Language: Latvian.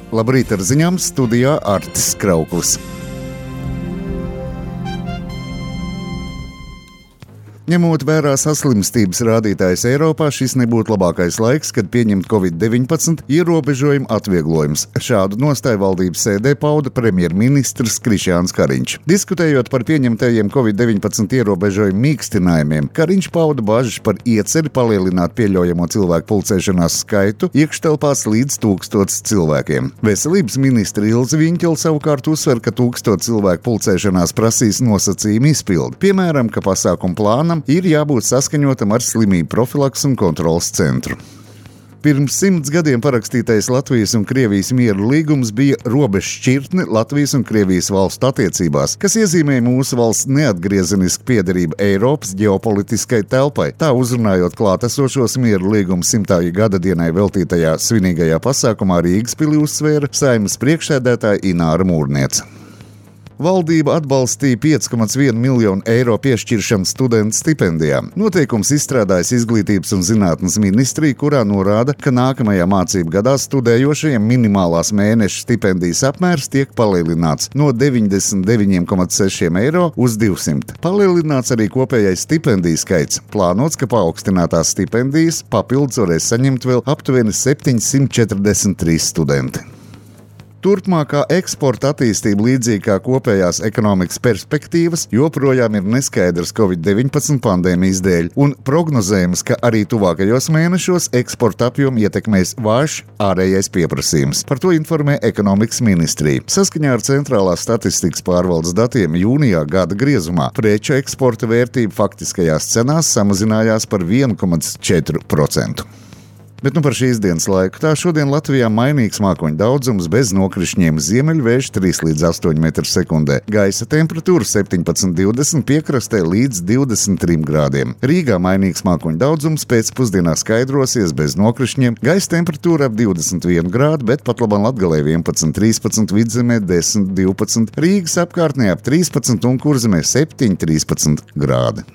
Labrīt ar ziņām, studijā Artis Krauklis. Ņemot vērā saslimstības rādītājus Eiropā, šis nebūtu labākais laiks, kad pieņemt Covid-19 ierobežojumu atvieglojumus. Šādu nostāju valdības sēdē pauda premjerministrs Krišjāns Kariņš. Diskutējot par pieņemtajiem Covid-19 ierobežojumu mīkstinājumiem, Kariņš pauda bažas par ieceri palielināt pieļaujamo cilvēku pulcēšanās skaitu iekštelpās līdz 1000 cilvēkiem. Veselības ministra Ilze Viņķele savukārt uzsver, ka 1000 cilvēku pulcēšanās prasīs nosacījumu izpildi. Piemēram, ka pasākumu plānam ir jābūt saskaņotam ar slimību profilaks un kontrolas centru. Pirms 100 gadiem parakstītais Latvijas un Krievijas mieru līgums bija robežšķirtne Latvijas un Krievijas valstu attiecībās, kas iezīmē mūsu valsts neatgriezenisku piederību Eiropas ģeopolitiskai telpai. Tā uzrunājot klātesošos mieru līguma 100. gada dienai veltītajā svinīgajā pasākumā Rīgas pilī uzsvēra Saeimas priekšsēdētāja Ināra Mūrniece. Valdība atbalstīja 5,1 miljonu eiro piešķiršanu studentu stipendijām. Noteikums izstrādājas Izglītības un zinātnes ministrija, kurā norāda, ka nākamajā mācību gadā studējošajiem minimālās mēneša stipendijas apmērs tiek palielināts no 99,6 eiro uz 200. Palielināts arī kopējais stipendiju skaits. Plānots, ka paaugstinātās stipendijas papildus varēs saņemt vēl aptuveni 743 studenti. Turpmākā eksporta attīstība līdzīgi kā kopējās ekonomikas perspektīvas joprojām ir neskaidrs Covid-19 pandēmijas dēļ un prognozējums, ka arī tuvākajos mēnešos eksporta apjomu ietekmēs vājš ārējais pieprasījums. Par to informē ekonomikas ministrija. Saskaņā ar Centrālās statistikas pārvaldes datiem jūnijā gada griezumā preču eksporta vērtība faktiskajās cenās samazinājās par 1,4%. Bet par šīs dienas laiku. Tā šodien Latvijā mainīgs mākoņu daudzums bez nokrišņiem, ziemeļvējš 3 līdz 8 m/sekundē. Gaisa temperatūra 17-20, piekrastē līdz 23 grādiem. Rīgā mainīgs mākoņu daudzums, pēcpusdienā skaidrosies bez nokrišņiem. Gaisa temperatūra ap 21 grādu, bet patlaban Latgalē 11-13, Vidzemē 10-12, Rīgas apkārtnē ap 13 un Kurzemē 7-13 grādi.